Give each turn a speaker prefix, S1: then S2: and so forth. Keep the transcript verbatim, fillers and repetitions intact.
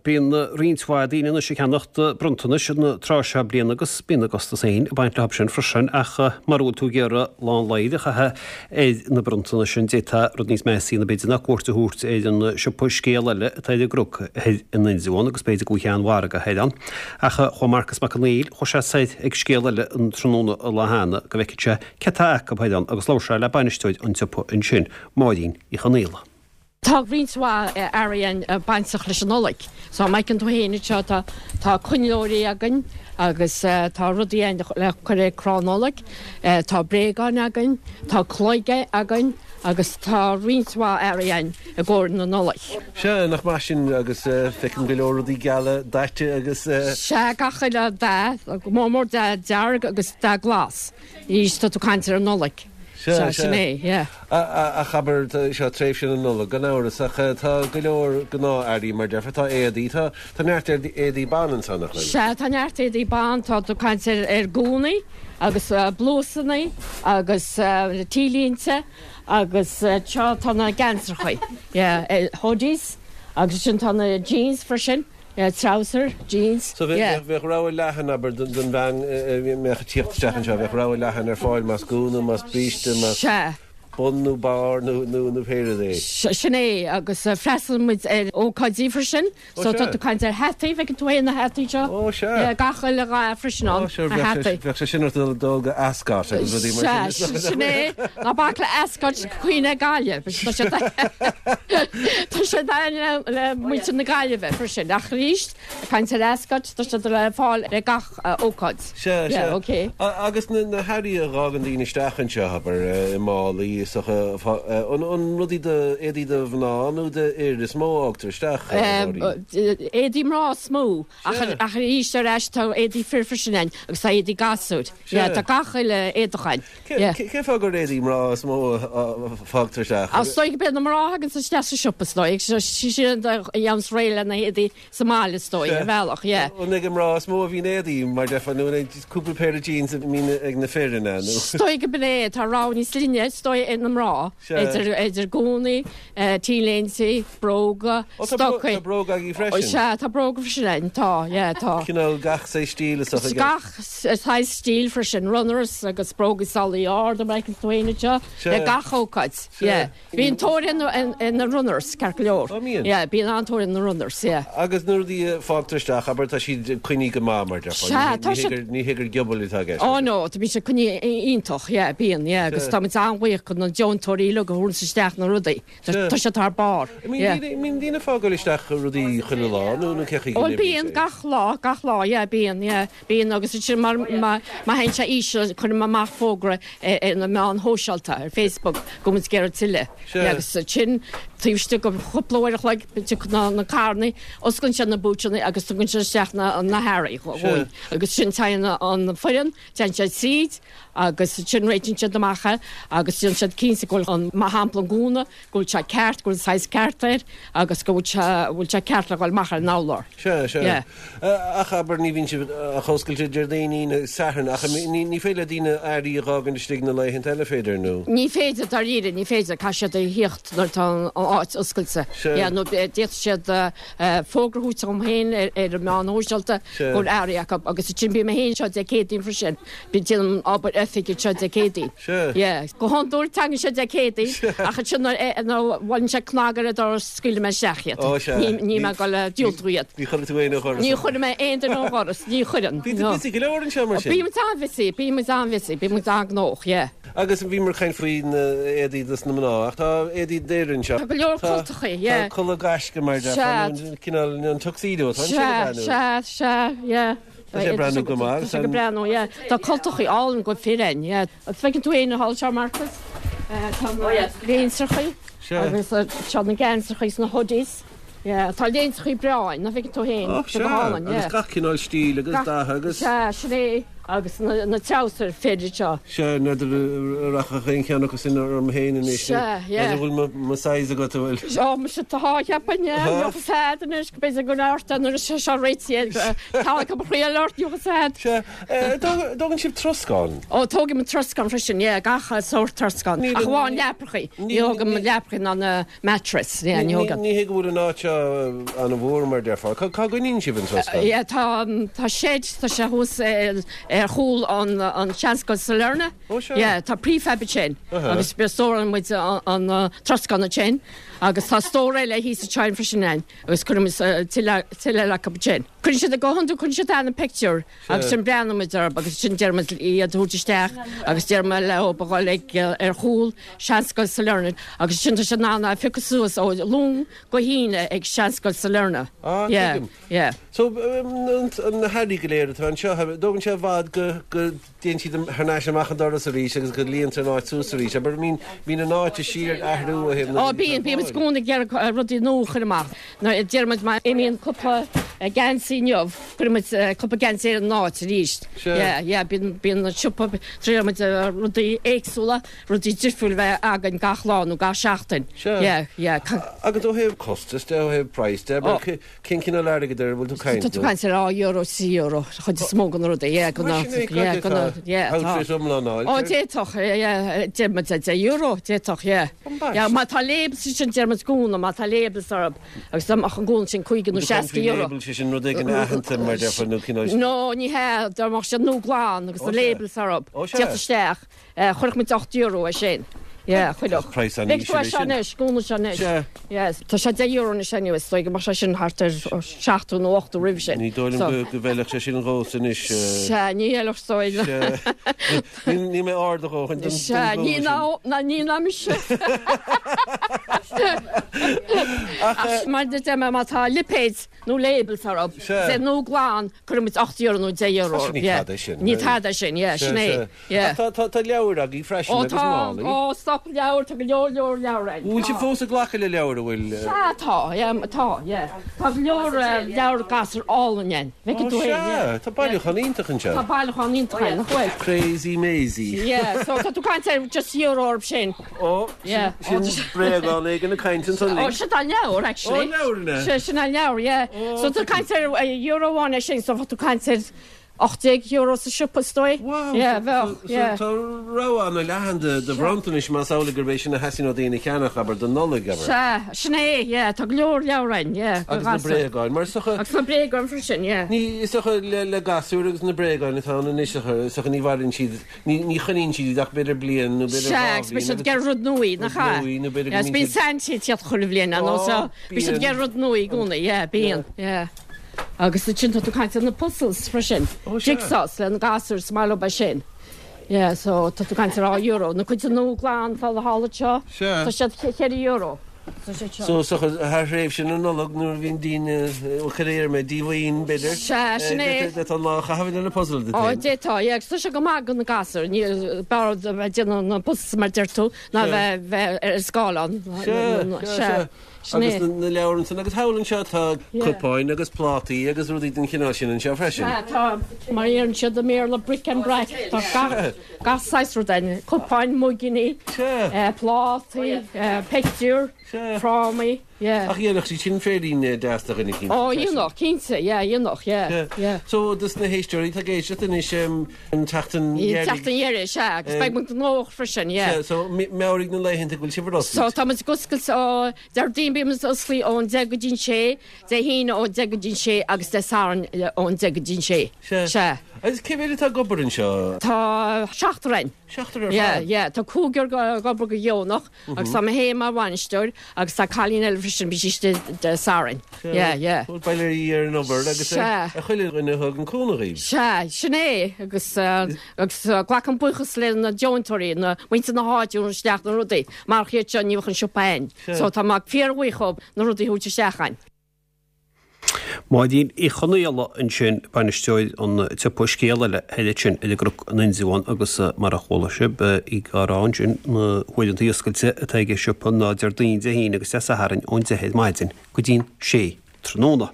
S1: Bíonn roinnt mhaith daoine anois ag ceannacht bronntanais an tráth seo bliana agus bíonn a gcostas féin ag baint leo sin freisin ach mura bhfuil tú ag iarraidh lá an lae a chaitheamh ar na bronntanais sin d'fhéadfá rud níos measa a dhéanamh b'fhéidir ná cuairt a thabhairt ar an siopa Scéal Eile atá ar an gCnoc thoir in Indreabhán agus b'fhéidir go bhfuil seanmhargadh thoir ann. Ach chuaigh Marcas Mac Conghail, chuaigh sé soir ag Scéal Eile an tráthnóna an lá cheana go bhfeicfeadh sé céard atá acu thoir ann agus labhair sé le bainisteoir an tsiopa ansin, Máirín Uí Chonaola.
S2: Tá roinnt mhaith earraí ann bainteach leis an Nollaig. So má fheiceann tú féin anseo tá tá coinnleoirí againn agus tá rudaí ann le cur ar crann Nollag, tá bréagáin againn, tá cloig againn agus tá roinnt mhaith earraí ann i gcomhair na Nollag.
S3: Sea, nach maith sin agus feicim go leor rudaí geala daite agus.
S2: Sea, gach uile dath, go mór mór dath dearg agus dath glas. Anois tá tú ag caint ar an Nollaig.
S3: Sea,
S2: sin é, yeah.
S3: Ach abair, seo tréimhse na Nollag gan amhras, ach tá go leor gnáth-earraí mar déarfá, tá éadaí, tá tá neart éadaí ban ansan, nach bhfuil?
S2: Sea, tá neart éadaí ban, tá tú ag caint ar ar gúnaí agus blúsannaí agus T-léinte agus seo tá na geansachaí, yeah, hoodies agus sin tá na jeans freisin. Yeah, trouser, jeans,
S3: So
S2: yeah.
S3: bheadh rogha leathan, abair, don bhean a mbeadh ag tíocht isteach anseo, bheadh rogha leathan ar fáil más gúna, más bríste, más
S2: Sea.
S3: bun nó barr nó nó nó pé rud é.
S2: Sin é, agus freastalaíonn muid ar ócáidí freisin,
S3: Ó
S2: so
S3: sea.
S2: tá tú ag caint ar hataí, bhfeiceann tú féin na hataí seo?
S3: Ó sea.
S2: Yeah, gach uile dhath freisin ann,
S3: Ó sure,
S2: na
S3: bheadh sé
S2: hataí.
S3: bheadh sé sin ort dul dul go Ascot agus rudaí mar
S2: Sea,
S3: sin.
S2: sin é, ná bac le Ascot cuimhne Gaillimh, tá sé Tá sé le le muintir na Gaillimhe freisin ach arís caint ar Ascot tá sé le fáil le gach ócáid.
S3: Sea, sea.
S2: ok.
S3: Agus na na hearraí a fhágann daoine isteach anseo, abair, i málaí is dócha, an an rudaí do éadaí do mhná nó do fhir is mó a fhágtar isteach, a Mháirín?
S2: Éadaí mná is mó ach
S3: Sea.
S2: ach arís ar ais tá éadaí fir freisin ann agus tá éadaí gasúir.
S3: Sea.
S2: Tá gach uile éadach ann.
S3: Cén fáth gur éadaí mná is mó a fágtar isteach?
S2: Is dóigh gurb é na mná a thagann isteach sa siopa is dóigh, siad a dhéananns réidh lena héadaí sa mbaile is dóigh, ar bhealach, yeah.
S3: An ag an mná is mó a bhíonn éadaí mar déarfá nó an cúpla péire jeans a bhíonn ag na fir ina nó?
S2: Is dóigh gurb é, tá rogha níos leithne is dóigh ag na mná, idir idir gúnaí, T-léinte, bróga, stocaí.
S3: Tá bróga agaibh freisin?
S2: Sea, tá bróga freisin ann, tá, yeah, tá.
S3: Cineál gach saghas stíl is dócha.
S2: Gach saghas stíl freisin, runners agus bróga sálaí arda mar a fheiceann tú féin anseo, le gach ócáid, yeah. Bíonn tóir ar na runners, ceart go leor.
S3: Ó, mbíonn?
S2: Yeah, bíonn an-tóir ar na runners, yeah.
S3: Agus na rudaí a fágtar isteach, abair, tá siad coinnithe go maith, mar déarfá.
S2: Sea, tá siad.
S3: Ní hé gur giobail atá i gceist.
S2: Ó no, tá bíonn siad coinnithe iontach, yeah, bíonn, yeah, agus tá muid an-bhuíoch do na deontóirí uilig a thabharanns isteach na rudaí. Tá siad thar barr, yeah.
S3: Mbíonn daoine ag fágáil isteach rudaí chuile lá nó nó cé chaoi go
S2: Ó
S3: n-oibríonn
S2: bíonn,
S3: sé?
S2: gach lá, gach lá, yeah, bíonn, yeah, bíonn agus ansin mar má má théann sé íseal cuirim amach fógra ar ar na meáin shóisialta, ar Facebook, go bhfuil muid ag iarraidh tuilleadh.
S3: Sea.
S2: Yeah, agus ansin taobh istigh de chúpla uair a chloig tiocfaidh na na carrannaí, osclaíonn siad na búitseanna agus tugann siad isteach na na hearraí
S3: Sea.
S2: dhúinn. Agus sin téann an foireann, téann siad tríd agus ansin réitíonn siad amach é agus déanann siad cinnte go bhfuil an, mar shampla an gúna, go bhfuil sé ceart, go bhfuil an saghas ceart air agus go bhfuil sé, bhfuil sé ceart le dhul amach ar an urlár.
S3: Sea, sea.
S2: Yeah.
S3: Ach abair, ní bhíonn sibh ach oscailte Déardaoin, Aoine, Satharn, ach ní, ní féidir le daoine earraí a dh'fhágaint istigh na laethanta eile, féidir, nó?
S2: Ní féidir, dáiríre, ní féidir, caithfidh siad a thíocht nuair atá an áit oscailte.
S3: Sea.
S2: Yeah, nó d'fhéadfadh siad fógra a thabhairt dom féin ar, ar an meán shóisialta
S3: Sea.
S2: go bhfuil earraí acu agus ansin bím mé féin anseo Dé Céadaoin freisin, bím déanaim obair oifige anseo Dé Céadaoin.
S3: Sea.
S2: Yeah. Go hiondúil tagann siad Dé Céadaoin ach ansin nuair nuair a bhuaileann sé cnag ar an doras scaoileann mé isteach iad.
S3: Ó, sea.
S2: Ní, ní mé ag dul a diúltú iad.
S3: Ní chuirfidh tú éinne ó dhoras.
S2: Ní chuirfidh mé aon duine ó dhoras, ní chuireann.
S3: Bíonn tú busy go leor anseo mar sin.
S2: Bíonn muid an-bhusy, bíonn muid an-bhusy, bíonn muid an-ghnóthach, yeah.
S3: Agus bhíomar ag caint faoi na éadaí dos na mná, ach tá éadaí d'fhir anseo.
S2: Tá go leor cultachaí, yeah.
S3: Tá culaith gaisce mar
S2: Sea.
S3: déarfá, nó cineál an tuxedo atá ansin
S2: Sea,
S3: ag breathnú.
S2: sea, sea, yeah.
S3: Tá sé ag breathnú go maith
S2: Tá sé ag breathnú, yeah. Tá cultachaí álainn go fir ann, yeah. Agus feiceann tú féin thall anseo, Marcus, tá na léinseachaí
S3: Sea.
S2: agus seo na geansachaí is na hoodies. Yeah, tá léinseachaí breá ann, nach bhfeiceann tú féin,
S3: Ó,
S2: tá go
S3: sea,
S2: hálainn,
S3: agus
S2: yeah.
S3: gach cineál stíl agus dath agus.
S2: Sea, sin é. Agus na na treabhsair fir seo.
S3: Sea, n'fheadar an rachadh aon cheann acu sin orm féin anois.
S2: Sea, yeah.
S3: N'fheadar bhfuil mo size agat, an bhfuil?
S2: Ó, muise tá, cheapfainn, yeah. Níl fhios a'd anois, go b'fhéidir go ort nuair is seo réitithe, tá go thriail ort, níl fhios a'd.
S3: Sea, dtógann sibh troscán?
S2: Ó, tógaim troscán freisin, yeah, gach sórt troscán. Ach amháin leaprachaí. Ní thógaim leaprachaí ná na mattress, yeah, ní thógaim.
S3: Ní hé go bhfuil an áit seo an-mhór mar déarfá. Cá gcoinníonn sibh an troscán?
S2: Yeah, tá tá shed, tá sé thuas ar chúl an an Seanscoil Sailearna.
S3: Ó sea.
S2: Yeah, tá prefab ansin agus stórálann muid an an troscán ansin agus tá stór eile thíos ansin freisin ann agus cuireann muid tuilleadh tuilleadh acu ansin. Cuireann siad a gcothan cuireann siad an pictiúr agus sin breathnaíonn muid orthu agus sin deir muid iad a thabhairt isteach agus deir muid leo a dhul ag ar chúl Seanscoil Sailearna agus sin tá siad in ann a phiocadh suas ó Luan go hAoine ag Seanscoil Sailearna.
S3: Ah,
S2: Yeah,
S3: tuigim.
S2: yeah.
S3: So na hearraí go léir atá anseo, dtógann sé i bhfad go go dtéann siad thar n-ais amach an doras arís agus go líontar an áit suas arís. Abair bíonn bíonn an áit de shíor ag athrú ó thaobh na
S2: Ó bíonn bíonn muid i gcónaí ag iarraidh rudaí nua a chur amach. Deir muid má imíonn cúpla geansaí inniu, cuireann muid cúpla geansaí ar an áit arís.
S3: Sea.
S2: Yeah, yeah, bíonn bíonn an siopa triaileann muid rudaí éagsúla, rudaí difriúil bheith againn gach lá nó gach seachtain.
S3: Sea.
S2: Yeah, yeah.
S3: Agus ó thaobh costas de, ó thaobh praghas de, abair cén cineál airgid ar a bhfuil tú caint?
S2: Tá tú caint ar dhá euro, trí euro, chuid is mó de na rudaí, yeah, go
S3: Mar sin é,
S2: yeah, go
S3: cad é
S2: yeah, tá.
S3: outfit iomlán a fháil?
S2: Ó, d'fhéadfadh, yeah, deir muid deich euro, d'fhéadfadh, yeah. Yeah, má tá labels sin deir muid gúna, má tá labels orthu, agus dá mbeadh an gúna sin cúig nó seasca euro.
S3: Label sé sin rud éigin aitheanta mar déarfá nó cineál.
S2: No, ní hea, dá mbeadh siad nua glan agus
S3: Ó,
S2: na
S3: sea.
S2: labels orthu.
S3: Ó, sea.
S2: Tíocht isteach, chuirfeadh muid ocht euro é sin. Yeah, chuirfeadh.
S3: Praghas an
S2: Bheadh tú
S3: íseal
S2: é
S3: é
S2: seo
S3: sin.
S2: anois, gúna seo anois.
S3: Sea.
S2: Yes, tá sé deich euro anois anyway, is dóigh go mbeadh sé sin thart ar seachtó nó ochtó roimh sin.
S3: Ní dóigh liom go go bhfeilfeadh sé sin dhomsa anois.
S2: Sea, ní fheilfeadh is dóigh.
S3: Sea. Níl níl mé ard a dhóthain don
S2: Sea,
S3: don
S2: ní
S3: gúna
S2: ná
S3: sin.
S2: ná ní ná mise. Ach mar a deir mé má tá lipéid nó labels orthu.
S3: Sea.
S2: Sé nua glan, cuireann muid ocht euro nó deich euro.
S3: Tá sin ní
S2: Yeah.
S3: tada sin.
S2: Ní tada sin, yeah, sin é. Yeah.
S3: Ach tá tá tá leabhair agaibh freisin
S2: Ó
S3: agus
S2: tá,
S3: málaí.
S2: ó stop leabhar, tá go leor leor leabhar ann.
S3: Bhfuil sibh fós ag glacadh le leabhair, an bhfuil?
S2: Sea, tá, yeah, tá, yeah. Tá go leor leabhar gasúr álainn ann. Bhfeiceann
S3: Ó
S2: tú é, yeah.
S3: sea, tá bailiúchán iontach anseo.
S2: Tá bailiúchán iontach ann, nach bhfuil?
S3: Crazy Maisie.
S2: Yeah, so tá tú caint ar just euro orthu sin.
S3: Ó,
S2: Yeah.
S3: sin bréagán éigin ag caint ansan
S2: Ó,
S3: linn.
S2: sin an leabhar, actually.
S3: Ó, leabhar ina.
S2: Sin sin an leabhar, yeah. So tá caint ar euro amháin é sin, so tá tú caint ar ocht déag euro sa siopa is dóigh.
S3: Wow,
S2: Yeah,
S3: so-
S2: bheadh,
S3: so- so
S2: yeah.
S3: Tá rogha an-leathan de de bhronntanais más amhlaidh gurb é sin a theastaíonn ó daoine cheannach abair don Nollaig abair.
S2: Sea, sin é, yeah, tá go leor leabhar ann, yeah.
S3: Agus na bréagáin, mar is dócha
S2: Agus na bréagáin freisin, yeah.
S3: Ní is dócha le le gasúir agus na bréagáin atá ann anois is dócha ní mhaireann siad ní ní choinníonn siad iad ach b'fhéidir bliain nó b'fhéidir
S2: Sea,
S3: dhá
S2: agus bíonn
S3: bhliain
S2: siad ag iarraidh rud nua, nach ea?
S3: Rud nua, nó b'fhéidir go
S2: Yeah, is
S3: mbíonn
S2: bíonn
S3: siad-
S2: Santa ag teacht chuile bhliain ann,
S3: Ó,
S2: so bíonn siad
S3: bíonn.
S2: ag iarraidh rud nua i gcónaí, yeah, bíonn, yeah. Agus ansin tá tú caint ar na puzzles freisin.
S3: Ó, sea.
S2: Jigsaws le na gasúir is maith leo é sin. Yeah, so tá tú caint ar dhá euro. Na cuid nua glan fá na seo.
S3: Sea.
S2: Tá siad ceithre euro. Tá siad seo.
S3: So so thar thréimhse na Nollag nuair a bhíonn daoine ó chuir mé díomhaoin b'fhéidir.
S2: Sea, sin é.
S3: Tá lá chaitheamh le na puzzle de.
S2: Ó, d'fhéadfá, yeah, agus tá sé go maith do na gasúir, ní b'fhearr a bheith déanamh na puzzles mar deir tú, ná
S3: Sea.
S2: bheith bheith ar an scáileán.
S3: Sea, sea.
S2: Sin
S3: Agus
S2: é.
S3: na na leabhair ansan agus thall anseo tá
S2: Yeah.
S3: cupáin agus plátaí agus rudaí den chineál sin anseo freisin.
S2: Sea, tá mar a deireann siad i mBéarla bric and brac, tá gach gach saghas rud ann, cupáin, muiginí,
S3: Sea.
S2: eh, plátaí, eh, pictiúr,
S3: Sea.
S2: frámaí, yeah.
S3: Ach dhéanfadh siad sin féirín deas do dhuine cinnte.
S2: Ó,
S3: freisin.
S2: dhéanfadh, cinnte, yeah, dhéanfadh, yeah, yeah.
S3: So dos na héisteoirí atá ag éisteacht anois an tseachtain
S2: Teacht an dheireadh, sea, agus
S3: Eh,
S2: beidh muid gnóthach freisin, yeah.
S3: So meabhraigh na laethanta go bhfuil sibh ar
S2: So
S3: oscailt.
S2: tá muid ag oscailt ó Déardaoin bíonn muid oscailte ón deich go dtí an sé, Dé hAoine ón deich go dtí an sé agus Dé Sathairn ón deich go dtí an sé.
S3: Sea.
S2: Sea.
S3: Agus cé mhéad atá ag obair anseo?
S2: Tá seachtar againn.
S3: Seachtar ar
S2: Yeah,
S3: fad.
S2: yeah, tá cúigear ag obair go deonach agus tá mé féin mar bhainisteoir agus tá cailín eile freisin bíonn sí istigh Dé Sathairn. Yeah, yeah.
S3: Bhuel, bail ar an obair agus
S2: Sea.
S3: ar chuile dhuine a thugann cúnamh dhaoibh.
S2: Sea, sin é agus uh, agus uh, glacaim buíochas le na deontóirí na muintir na háite a isteach na rudaí, mar chiad seo ní bheadh an siopa ann.
S3: Sea.
S2: So tá mé fíorbhuíoch dhóibh na rudaí a thabhairt isteach againn.
S1: Máirín Uí Chonaola ansin bainisteoir an tsiopa scéal eile eile sin i gCnoc an Indreabháin agus mar a chuala sibh í ag rá ansin na huaireanta oscailte atá ag an siopa ná Déardaoin Dé hAoine agus Dé Sathairn ón deich ar maidin go dtí'n sé tráthnóna.